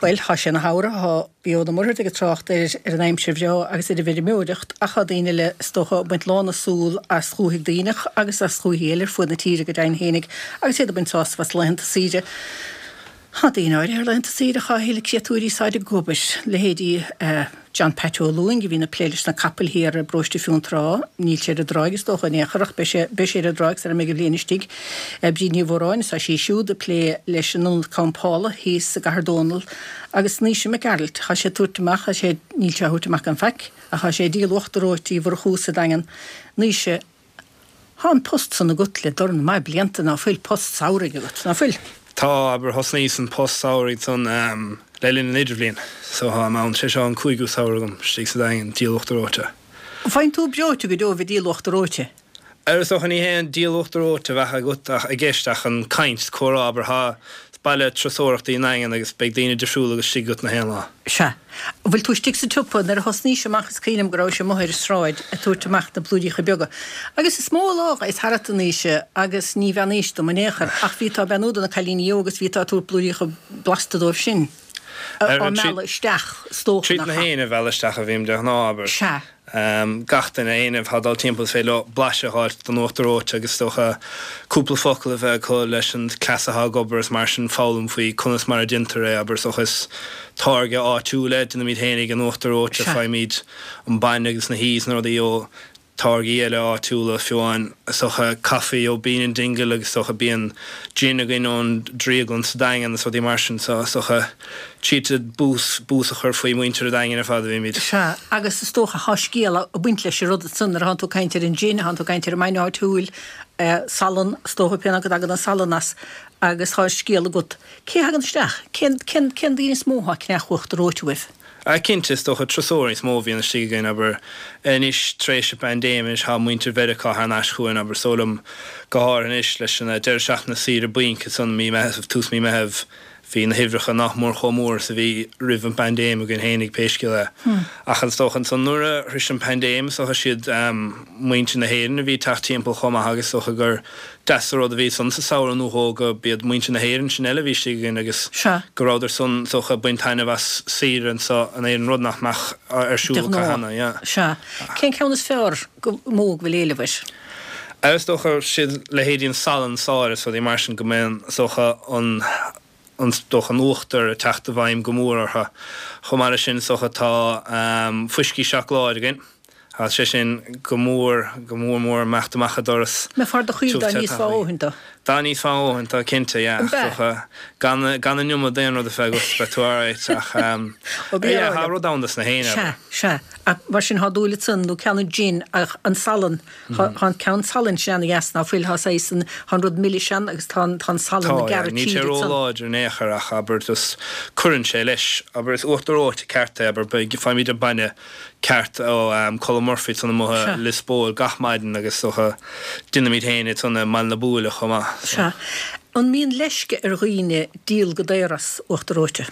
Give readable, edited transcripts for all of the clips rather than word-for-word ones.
Bhuel, tá sé ina shamhradh, tá Eoin Ó Muircheartaigh ag trácht ar ar an aimsir bhreá agus ar an bhfeirmeoireacht ach tá daoine eile, is dócha, ag baint lán na súl as dhúthaigh Duibhneach agus as dhúichí eile ar fuaid na tíre go deimhin fhéinig agus iad ag baint sásamh as laethanta saoire. Tá daoine áirithe ar laethanta saoire atá a thuilleadh créatúirí sáid ag obair, leithéidí John Pat Ó Lúing a bhíonn ag plé leis na capaill thiar i bparóiste Fionntrá. Níl sé ar an dtráigh is dócha in aon chor ach beidh sé beidh sé ar an dtráigh sara mbeidh an bhliain istigh. Bríd Ní Mhóráin, tá sí siúd ag plé leis an ionad campála thíos i gCathair Dónall agus Naoise Mac Gearailt, tá sé ag tabhairt amach, tá sé, níl sé á thabhairt amach gan faic, ach tá sé ag díol uachtar reoite Uí Mhurchú sa Daingean. Naoise, Tá an post san agat le dorn maith blianta, ná fuil post samhraidh agat, ná fuil? Tá, abair, thosnaíos an post samhraidh san le linn an idirbhliain, so táim ann, sé seo an cúigiú samhradh agam istigh sa Daingean, díol uachtar reoite. Faigheann tú breoite go deo bheith díol uachtar reoite? Ar is dócha ní hé an díol uachtar reoite a bheadh agat ach i gceist ach an caint, comhrá, abair, tá, is baile turasóireachta í an Daingean agus beidh daoine difriúla agat istigh agat na haon lá. Sea. An bhfuil tú istigh sa tsiopa? Nuair a thosnaís amach is cuimhin liom go rabhais amuigh ar an sráid ag tabhairt amach na blúiríocha beaga. Agus is mó lá a ghabhas tharat a Naoise agus ní bheannaís dom in aon chor ach bhí tú ag beannú do na cailíní óga is bhí tú ag tabhairt blúiríocha blasta dóibh sin. Á mealladh isteach, is dócha, Tríd nach na ea? héinne a mhealladh isteach a bhím de ghnáth, abair. Sea. Gach duine, éinne atá ag dul timpeall is féidir leo blaiseadh a fháilt den uachtar reoite agus is dócha cúpla focal a bheith acu leis an cleas atá ag obair is mar sin foghlaim faoi conas mar a déantar é, abair, is dócha is táirge áitiúil é, déanaimid fhéinig an uachtar reoite, faighimid an bainne agus na hí is na rudaí ó táirgí eile áitiúla, fiú amháin is dócha caife ó Bean in Dingle agus is dócha bíonn gin againn ón drioglann sa Daingean is rudaí mar sin so is dócha tríd bús, bús a chur faoi mhuintir an Daingin ar fad a bhímid. Sea, agus is dócha thá scéal ag baint leis an rud ansan nuair a thánn tú ag caint ar an gin, thánn tú ag caint ar an mbainne áitiúil, salann, is dócha pé ná go dtagann an salann as agus thá scéal agat. Cé a thagann isteach? Cén, cén, cén daoine is mó athá ag ceannach uachtar reoite uaibh? Cinnte, is dócha turasóirí is mó a bhíonn istigh againn, abair, anois tar éis an bpaindéim, anois tá muintir Mheiriceá thar n-ais chugainn, abair, is dóigh liom, go háirithe anois leis an deireadh seachtaine saoire bainc ansan mí Meitheamh, tús mí Meitheamh, bhí na huimhreacha nach mór chomh mór is a bhí roimh an bpaindéim againn fhéinig, pé scéal é. Ach is dócha ansan nuair a shrois an paindéim, is dócha siad muintir na hÉireann a bhí ag teacht timpeall chomh maith agus is dócha gur Deas an rud a bhí san sa samhradh nó dhó go b'iad muintir na hÉireann sin eile a bhí istigh againn agus go rabhadar san is dócha ag baint taitneamh as saoire anso in Éirinn, rud nach mbeadh ar De siúl acu ghnáth. cheana, yeah. Sea. Cén ceann is fearr, go mó go bhfuil éileamh air? Is dócha siad leithéidí an salann sáile is rudaí mar sin go mbíonn is dócha an is dócha an uachtar ag teacht i bhfeidhm go mór orthu. Chomh maith leis sin is dócha tá fuiscí seacláide againn. Tá sé sin go mór, go mór mór ag imeacht amach an doras. Mbeifeá ar do chaoi dá n-íosfá a dhóthain dó. Dá n-íosfá a dhóthain dó, cinnte, yeah. An bea? Is dócha, gan, gan an iomad d'aon rud a bheith agat, beidh tú alright, ach, Ó, bí yeah, ar tá rud ann dos na héinne, Sea, abair. sea. Ach mar sin, thá dúil ansan, nó ceann an gin, ach an salann, Tá an ceann salainn sin ana dheas ná fuil, tá saghas an, tá an rud milis ann agus tá an, tá an salann Tá, ag yeah. gearradh Níl sé tríd ansan. ró-láidir in aon chor ach abair just cuireann sé leis, abair is uachtar reoite ceart é, abair beidh, faighimid an bainne ceart ó Colm Murphy ansan amuigh i Sea. Lios Póil gach maidin agus is dócha déanaimid féin é ansan i mBaile na Buaile chomh maith so. Sea. An mbíonn leisce ar dhaoine díol go daor as uachtar reoite?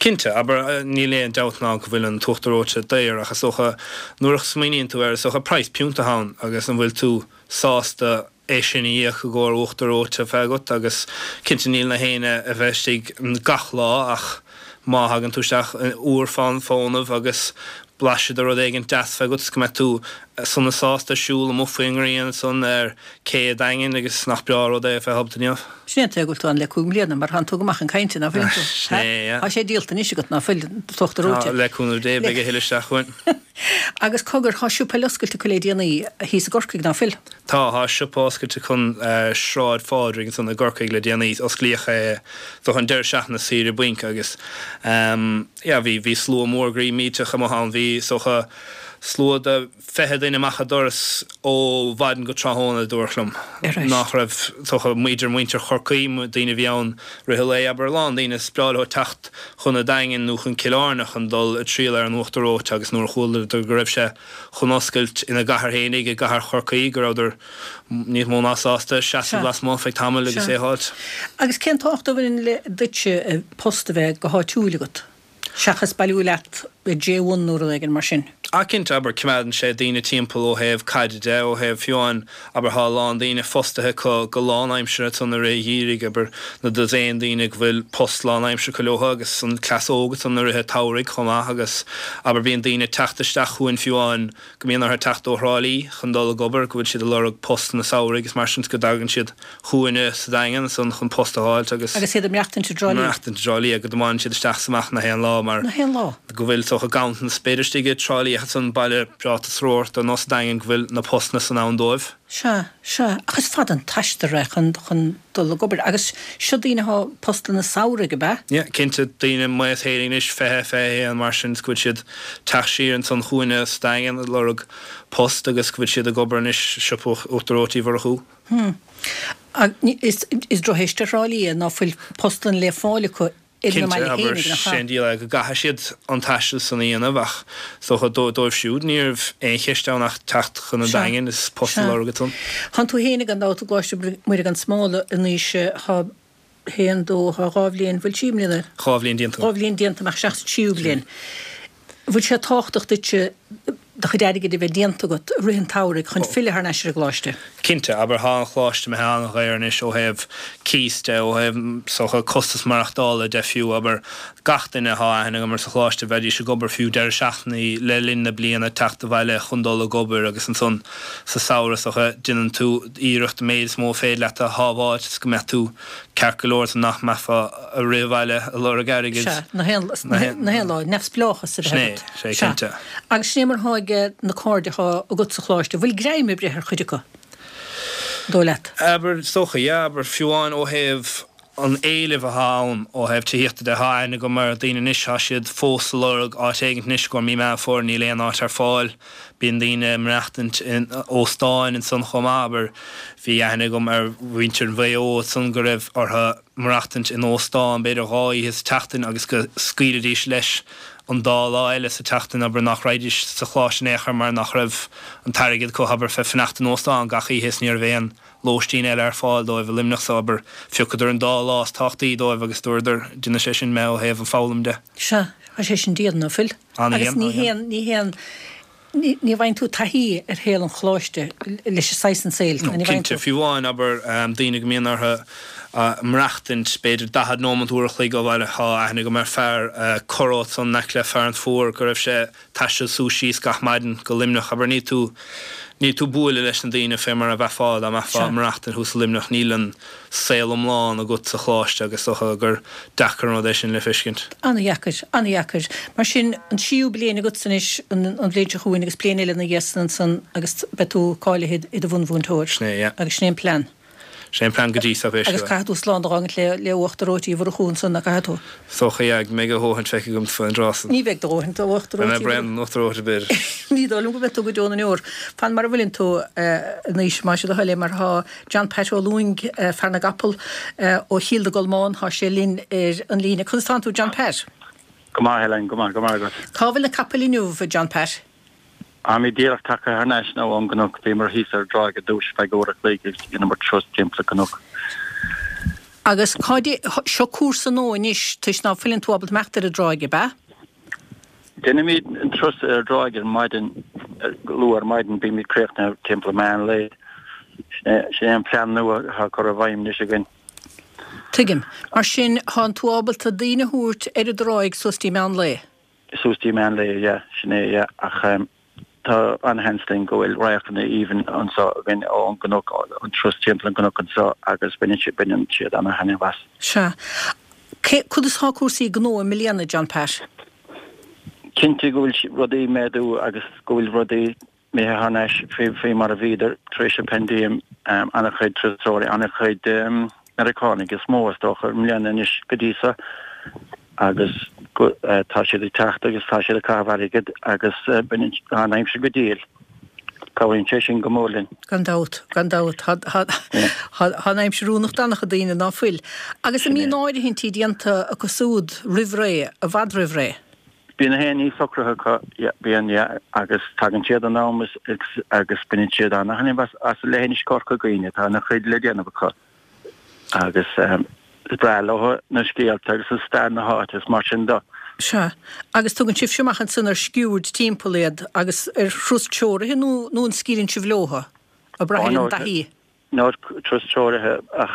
Cinnte, abair, níl aon dabht ná go bhfuil an t-uachtar reoite daor ach is dócha nuair a smaoiníonn tú air is dócha praghas piúnta atá ann agus an bhfuil tú sásta é sin a íoc i gcomhair uachtar reoite a bheith agat agus cinnte níl na héinne a bheith istigh gach lá ach má thagann tú isteach uair fán bhfónamh agus blaiseadh de rud éigin deas bheith agat is go mbeidh tú sona sásta siúl amuigh faoin ngrian ansan ar cé an Daingin agus nach breá an rud é a bheith ábalta inniu. Sin é an tuige go bhfuil tú ann le 5 mbliana, mar thánn tú go maith chun cainte, ná fuil tú? Sin é, yeah. Tá sé díolta anois agat, ná fuil, an t-uachtar reoite? Tá, le cúnamh Dé, beidh a thuilleadh isteach chugainn. Agus cogar, thá siopa eile oscailte acu le déanaí, thíos i gCorcaigh, ná fuil? Tá, thá siopa oscailte chun Sráid Phádraig ansan i gCorcaigh le déanaí. Osclaíodh é don deireadh seachtaine saoire bainc agus yeah, bhí, bhí slua mór groí millteach amuigh ann. Bhí, is dócha, slua de. 20 duine amach an doras ó mhaidin go tráthnóna, dúradh liom nach raibh, is dócha, idir muintir Chorcaí, daoine a bhí ann rith an lae, abair, a lán daoine, is breá leo teacht chun an Daingin nó chun Cill Airne chun dul ag triall ar an uachtar reoite agus nuair a chualadar go raibh sé chun oscailt ina gcathair fhéinig, i gcathair Chorcaí, go rabhadar níos mó ná sásta seasamh lasmuigh feadh tamaill agus é a fháilt. Agus cén tábhacht a bhaineann le duitse post a bheith go háitiúil agat? Seachas bailiú leat i J1 nó rud éigin mar sin. Ach cinnte, abair, coimeádann sé daoine timpeall ó thaobh caide de, ó thaobh fiú amháin, abair, thá a lán daoine fostaithe acu go lánaimseartha ansan i rith an gheimhridh, abair, na dosaen daoine go bhfuil post lánaimseartha acu leotha agus an cleas óg ansan i rith an tsamhraidh chomh maith agus, abair, bíonn daoine ag teacht isteach chugainn fiú amháin go mbíonn orthu teacht ó Thrá Lí chun dul ag obair, go bhfuil siad ag lorg postanna samhraidh agus mar sin 's go dtagann siad chugainne sa Daingean ansan chun post a dh'fháilt agus. Agus iad ag maireachtaint i dTrá Lí. Maireachtaint i dTrá Lí, go dtiomáineann siad isteach 's amach na haon lá mar. Na haon lá. Go bhfuil is dócha ganntanas b'fhéidir istigh i dTrá Lí ach ansan baile breá turasóireachta nó sa Daingean go bhfuil na postanna san ann dóibh. Sea, sea. Ach is fada an t-aistear é chun, chun dul ag obair. Agus seo daoine athá postanna samhraidh, ab ea? Yeah, cinnte. Daoine m'aois féinig anois, 20, 21, mar sin, 's go bhfuil siad teacht siar ansan chugainne sa Daingean ag lorg post agus go bhfuil siad ag obair anois i siopa Uachtar Reoite Uí Mhurchú. Hm. Is drochcheist ar Thrá Lí é ná fuil postanna le fáil acu ina Cinnte, mbaile abair, féinig, nach sé ea? an díol é go gcaithfidh siad an taisteal san a dhéanamh ach is dócha dóibh siúd ní raibh aon cheist ann ach teacht chun an Sea, Daingin is post a sea. lorg ansan. Thánn tú féinig gan dabht i gColáiste Muire gan Smál anois, thá haon, dó, thá dhá bhliain, bhfuil trí mbliana? Dhá bhliain déanta. Dhá bhliain déanta, amach isteach sa tríú bliain. Bhfuil sé tábhachtach duitse do chuid airgid a bheith déanta agat i rith an tsamhraidh chun filleadh thar n-ais ar an gcoláiste? Cinnte, abair, thá an choláiste imithe an-dhaor anois ó thaobh cíos de, ó thaobh, is dócha, costas maireachtála de fiú, abair, gach duine athá aithne agam ar sa choláiste, bheidís ag obair fiú deireadh seachtainí le linn na bliana, teacht abhaile chun dul ag obair agus ansan sa samhradh, is dócha, déanann tú iarracht an méid is mó a féidir leat a shábháilt is go mbeadh tú ceart go leor is nach mbeifeá ag rith abhaile ag lorg airgid. Sea, na haon lá, neamhspleáchas a bheith agat. Sin é, sea, cinnte. Agus sin é mar atá ag na cairde atá agat sa choláiste, bhfuil greim ag breith ar chuid acu, an dóigh leat? Abair, is dócha, yeah, abair, fiú amháin ó thaobh an éilimh atá ann ó thaobh tithíochta de, tá aithne agam ar daoine anois, tá siad fós ag lorg áit éigint anois i gcomhair mí Meán Fómhair, níl aon áit ar fáil. Bíonn daoine ag maireachtaint in óstáin ansan chomh maith, abair, bhí aithne agam ar mhuintir Mhaigh Eo ansan go raibh orthu maireachtaint in óstán b'fhéidir dhá oíche sa tseachtain agus go scaoilfidís leis an dá lá eile sa tseachtain, abair, nach raghaidís sa choláiste in aon chor mar nach raibh an t-airgead acu, abair, fé fanacht in óstán gach oíche is ní raibh aon lóistín eile ar fáil dóibh i Luimneach so, abair, phiocadar an dá lá is tábhachtaí dóibh agus dúradar, déanfaidh sé sin mé ó thaobh an foghlaim de. Sea, tá sé sin dian, ná fuil? An-dhian, Agus ní an-dhian. haon, ní haon, ní, ní bhfaigheann tú taithí ar shaol an choláiste leis an saghas an saoil, No, ní bhfaigheann cinnte, tú. fiú amháin, abair, daoine go mbíonn orthu maireachtaint b'fhéidir 40 nóimeant, uair a chloig ó bhaile, tá aithne agam ar fear curó ansan in aice le Fearann Fuar go raibh sé taisteal suas síos gach maidin go Luimneach, abair, níl tú, níl tú bualadh leis na daoine fé mar a bheifeá dá mbeifeá Sea. maireachtaint thuas i Luimneach, níl an saol iomlán agat sa choláiste agus is dócha gur deacair an rud é sin le feiscint. An-dheacair, an-dheacair. Mar sin, an tríú bliain agatsa anois, an bhliain seo chugainn agus bliain eile ina dhiaidh san ansan agus beidh tú cáilithe i do bhunmhúinteoir. Sin é, yeah. Agus sin é an plean. Sin é an plean go dtí so, pé Agus scéal é. caithfidh tú slán a dh'fhágaint le le uachtar reoite Uí Mhurchú ansan, nach gcaithfidh tú? Is dócha, yeah, go mbeidh a dhóthain feicthe agam faoin dtráth san. Ní bheidh do dhóthain d'uachtar Beidh mé reoite Uí bréan den uachtar reoite, b'fhéidir. Ní dóigh liom go mbeidh tú go deo na ndeor. Fan mar a bhfuileann tú anois, más é do thoil é, mar tá John Pat Ó Lúing, fear na gcapall ó Chill na gColmán, tá sé linn ar an líne. Conas tánn tú, John Pat? Go maith, Helen, go maith, go maith agat. Cá bhfuil na capaill inniu, a John Pat? Táimid díreach tagtha thar n-ais now ón gcnoc. Bhíomar thíos ar an dtráigh ar dtúis feadh uair a chloig agus dheineamar turas timpeall an cnoc. Agus cá dté, seo cúrsa nua anois toisc ná fuileann tú ábalta imeacht ar an dtráigh, ab ea? Deinimid an turas ar an dtráigh ar maidin, luath ar maidin, bímid críochnaithe timpeall meán lae. Sin é an plean nua atá curtha i bhfeidhm anois againn. Tuigim. Mar sin, thánn tú ábalta daoine a thabhairt ar an dtráigh suas dtí meán lae? Suas dtí meán lae, yeah, sin é, yeah. Ach tá an-sheans linn go bhfuil radharcanna aoibhinn anseo againn ón gcnoc, an turas timpeall an gcnoc anseo agus baineann siad, baineann siad ana-thaitneamh as. Sea. Cé, conas tá cúrsaí gnó i mbliana, John Pat? Cinnte go bhfuil rudaí ag méadú agus go bhfuil rudaí imithe thar n-ais faoi mar a bhíodar tar éis an paindéim, an-chuid turasóirí, an-chuid Meiriceánaigh is mó is dócha i mbliana anois go dtí so agus tá siad ag teacht agus tá siad ag caitheamh airgid agus tá an aimsir go diail. Cabhraíonn sé sin go mór linn. Gan dabht, gan dabht. Tá an aimsir oiriúnach d'an-chuid daoine, ná fuil? Agus an mbíonn áirithintí déanta acu súd roimh ré, i bhfad roimh ré? Bíonn na haon ní socraithe acu, bíonn, yeah, agus tagann siad in am agus baineann siad ana-thaitneamh as, as leithinis Chorca Dhuibhne, tá ana-chuid le déanamh acu agus is breá leo na scéalta agus an stair na háite is mar sin de. Sea. Agus tugann sibhse amach ansan ar sciúird timpeall iad agus ar thuras treoraithe nó nó an scaoileann sibh leotha, ag brath ar an dtaithí? No, turas treoraithe ach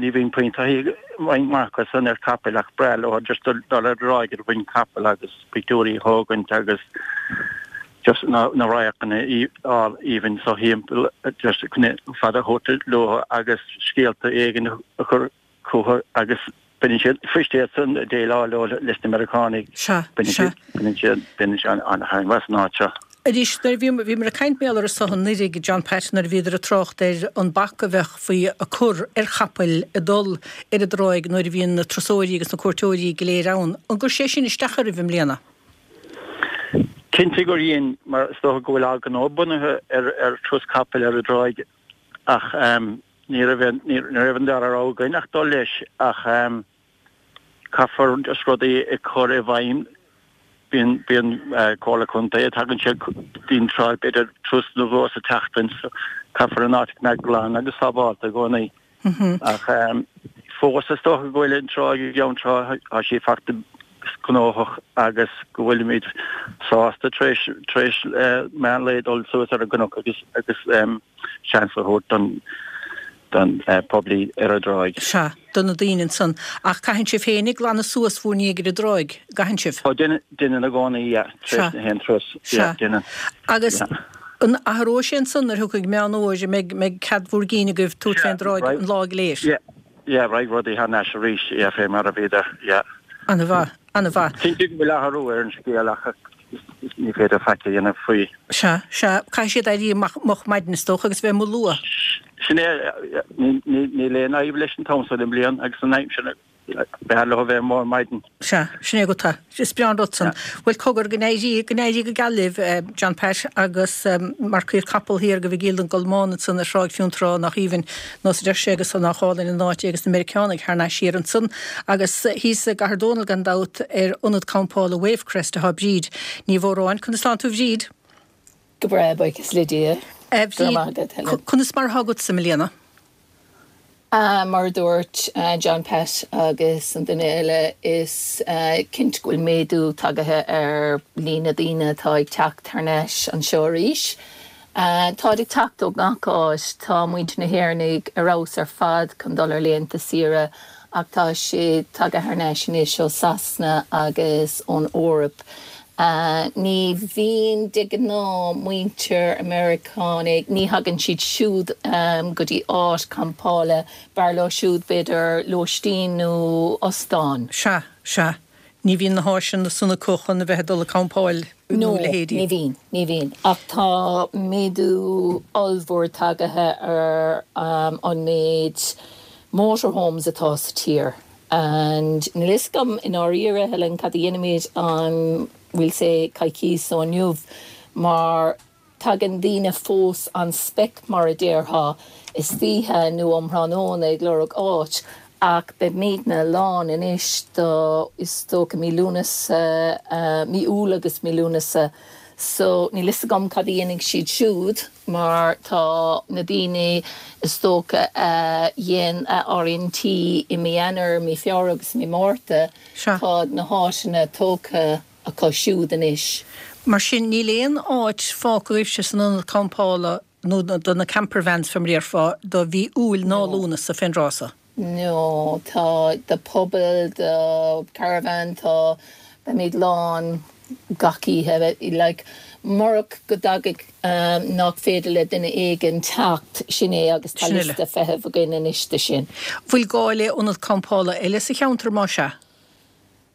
ní bhíonn puinn taithí roinnt mhaith acu san ar capaill ach breá leo just dul ar an dtráigh ar mhuin capaill agus pictiúirí a thógaint agus just na radharcanna aoibhinn so thimpeall just fad a thabhairt leo agus scéalta éigin a chur chucu agus baineann siad fuist iad san ag déileáil leo leis na Meiriceánaigh. Sea, sea. Baineann siad, baineann siad an-thaitneamh as an áit seo. Arís, nuair a bhí, bhíomar ag caint mar gheall air so anuraidh, John Pat, nuair a bhíodar ag trácht ar an bac a bheadh faoi ag cur ar chapaill ag dul ar an dtráigh nuair a bhíonn na turasóirí agus na cuairteoirí go léir ann. An gcuir sé sin isteach oraibh i mbliana? Cinnte gur dhein, mar is dócha go bhfuil ár ngnó bunaithe ar, ar turas capaill ar an dtráigh ach Ní raibh aon, ní raibh an dara rogha againn ach dul leis ach caithfear just rudaí a chur i bhfeidhm. Bíonn, bíonn Comhairle Contae, tagann siad go dtí an trá b'fhéidir turas nó dhó sa tseachtain so caithfear an áit a choimeád glan agus sábhálta i gcónaí. Ach fós is dócha go bhfuil an trá i gCeann Trá, tá sí fachta gnóthach agus go bhfuilimid sásta tar éis, tar éis meán lae dul suas ar an gcnoc agus, agus seans a thabhairt don, don poiblí ar an dtráigh. Sea, do na daoine ansan. Ach caitheann sibh féinig glanadh suas bhúr ndiaidh ar an dtráigh, gcaitheann sibh? Ó, déanann, déanann i gcónaí, yeah, tar éis na haon turas, yeah, déanann. Agus an athróidh sé ansan nuair a thiocfaidh Meán Fhómhair, an mbeidh, mbeidh cead bhúr gcinn agaibh tabhairt fén dtráigh an lá go léir? Yeah. Yeah, raghaidh rudaí thar n-ais arís, yeah, fé mar a bhíodar, yeah. Ana-mhaith, ana-mhaith. Cinnte go bhfuil athrú ar an scéal ach ní féidir faic a dhéanamh faoi. Sea, sea, caithfidh siad éirí amach moch maidin is dócha agus bheith amuigh luath. Sin é, níl aon fhadhb leis an t-am so den bhliain agus an aimsir, b'fhearr leo a bheith amuigh ar maidin. Sea, sin é agat é. Is breá an rud san. Bhuel, cogar, go n-éirí, go n-éirí go geal libh, John Pat agus marcaíocht capall thiar go Mhicíl don gColmán ansan ar Thráigh Fionntrá, nach aoibhinn, nós a deir sé, agus nách álainn an áit é agus na Meiriceánaigh thar n-ais thiar ansan. Agus thíos i gCathair Dónall gan dabht ar ionad campála Wavecrest atá Bríd Ní Mhóráin. Conas tánn tú a Bhríd? Go breá, buíochas le Dia. A Bhríd, conas mar atá agatsa i mbliana? Mar a dúirt John Pat agus an duine eile, is cinnte go bhfuil méadú tagaithe ar líon na daoine atá ag teacht thar n-ais anseo arís. Táid ag teacht ó gach áit. Tá muintir na hÉireannaigh ar fheabhas ar fad chun dul ar laethanta saoire ach tá siad tagtha thar n-ais anois ó Sasana agus ón Eoraip. Ní bhíonn de ghnáth muintir Meiriceánaigh, ní thagann siad siúd go dtí áit campála, b'fhearr leo siúd b'fhéidir lóistín nó ostán. Sea, sea. Ní bhíonn na háiseanna san acu chun a bheith ag dul ag campáil nó No, a leithéidí. ní bhíonn, ní bhíonn. Ach tá méadú ollmhór tagaithe ar an méid motorhomes atá sa tír. And níl fhios agam i ndáiríre, Helen, cad a dhéanfaimid an bhfuil sé coicíos ó inniu mar tagann daoine fós on spec mar a déarfá istoíche nó um thráthnóna ag lorg áit ach beimidne lán anois do is dócha mí Lúnasa, mí Iúil agus mí Lúnasa so níl fhios agam cad a dhéanfaidh siad siúd. mar tá na daoine is dócha a dhein a áirithintí i mí Eanáir, mí Feabhra agus mí Márta, tá na háiteanna tógtha acu siúd anois. Mar sin, níl aon áit fágtha agaibhse san ionad campála nó do na campervans, fé mar a déarfá, do mhí Iúil ná Lúnasa fén dtráth so? No, tá do puball, do caravan, tá, beimid lán gach oíche, like, murach go dtagaidh, nach féidir le duine éigin teacht, sin é agus tá liosta feithimh againn anois de sin. Bhfuil gá le ionad campála eile sa cheantar, más ea?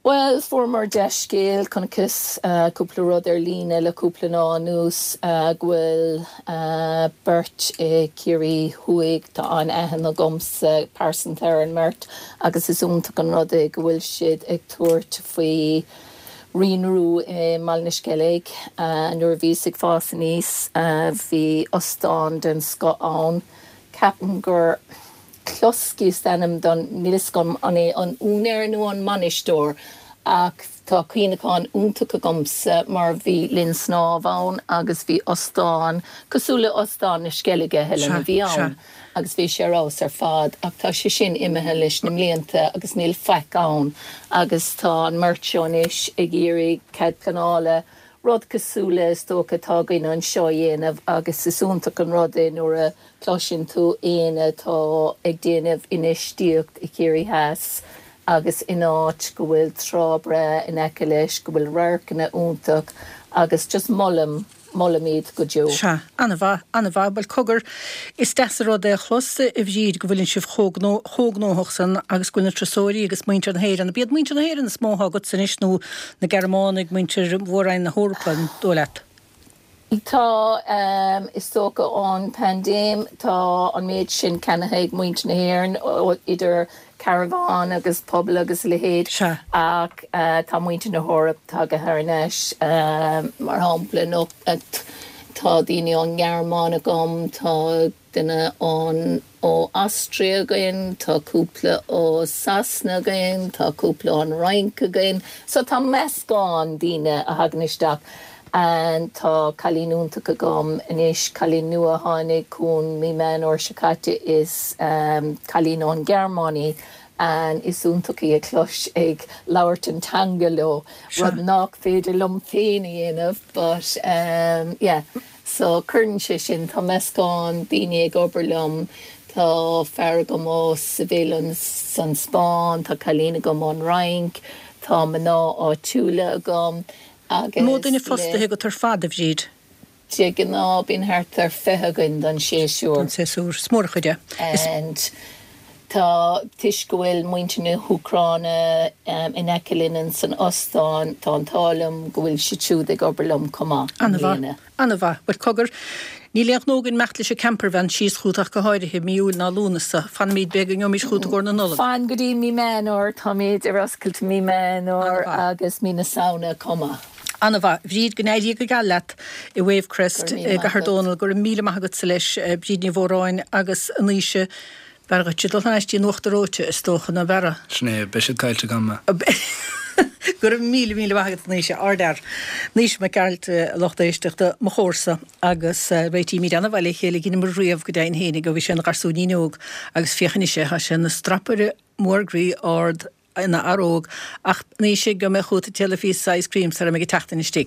Bhuel, fuaireamar dea-scéal, chonaiceas cúpla rud ar líne le cúpla lá anuas, go bhfuil beirt i Ciarraí Thuaidh, tá an-aithne agamsa pearsanta ar an mbeirt agus is iontach an rud é go bhfuil siad ag tabhairt faoi rianrú i mBaile na Sceilg. Nuair a bhíos ag fás aníos bhí ostán den scoth ann, ceapaim gur. Cluskey is ainm don, níl fhios agam an é an úinéir nó an mbainisteoir ach tá cuimhneachán iontach agamsa mar bhí linn snámh ann agus bhí ostán cosúil le Ostán na Sceilge, Helen, a bhí ann. Agus bhí sé ar fheabhas ar fad ach tá sé sin imithe leis na mblianta agus níl faic ann agus tá an mbeirt seo anois ag iarraidh cead pleanála, rud cosúil le is dócha atá againn anseo a dhéanamh agus is iontach an rud é nuair a chloiseann tú éinne atá ag déanamh infheistíocht i Chiarraí Theas agus in áit go bhfuil trá breá in aice leis, go bhfuil radharcanna iontach agus just molaim. Molaim iad go deo. Sea, an-mhaith, an-mhaith. Bhuel, cogar, is deas an rud é a chlos, a Bhríd, go bhfuileann sibh chomh gnóthach san agus go bhfuil na turasóirí agus muintir na hÉireann, ab iad muintir na hÉireann is mó atá agatsa anois nó na Gearmánaigh, muintir mhór-roinn na hEorpa, an dóigh leat? Tá, is dócha ón bpaindéim, tá an méid sin ceannaithe ag muintir na hÉireann, idir caravan agus puball agus a leithéid. Sea. Ach tá muintir na hEorpa tagtha thar n-ais, mar shampla, nó tá daoine ón nGearmáin agam, tá duine ón ó Austria againn, tá cúpla ó Sasana againn, tá cúpla ón Fhrainc againn. So tá meascán daoine a thagann isteach. And tá cailín iontach agam anois, cailín nua a tháinig chugainn mí Meán Fhómhair seo caite, is cailín ón Ghearmáin í and is iontach í a chlos ag labhairt an teanga leo, rud nach féidir liom féin a dhéanamh but yeah. So cuireann sé sin, tá meascán daoine ag obair liom, tá fear agam ó Seville san Spáinn, tá cailín agam ón Fhrainc, tá mná áitiúla agam, Agus Mó duine fostaithe agat ar fad, a Bhríd? De ghnáth bíonn thart ar 20 againn don séasúr. Don séasúr. Is mór an chuid é. Is. And tá, toisc go bhfuil muintir na hÚcráine in aice linn san ostán, tá an t-ádh liom go bhfuil siad siúd ag obair liom chomh maith i An-mhaith. mbliana. An-mhaith. Bhuel, cogar, níl aon ghnó againn imeacht leis an campervan síos chugat ach go háirithe, mí Iúil ná Lúnasa. Fanfaimid, b'fhéidir go ngeobhaimid chugat i gcomhair na Nollag. Fan go dtí mí Meán Fhómhair, táimid ar oscailt mí Meán Fhómhair agus mí na Samhna chomh maith. An-mhaith. Bhríd, go n-éirí go geal leat i Wavecrest i gCathair Dónall. Go raibh míle maith agatsa leis, Bríd Ní Mhóráin agus a Naoise. B'fhearr dhuit dul thar n-ais dtí an uachtar reoite, is dócha, ná b'fhearra? Sin é, beidh siad caillte agam. Go raibh míle, míle maith agat, a Naoise. Ardfhear. Naoise Mac Gearailt, a lucht éisteachta, mo chomharsa, agus réitímid an-mhaith le chéile, dheineamar riamh go deimhin fhéinig ó bhí sé ina gharsúinín óg, agus féach anois é, tá sé ina strapaire mór groí ard, ina fhear óg, ach, a Naoise, gheobhaidh mé chugat ag déanamh píosa ice cream sara mbeidh an tseachtain istigh.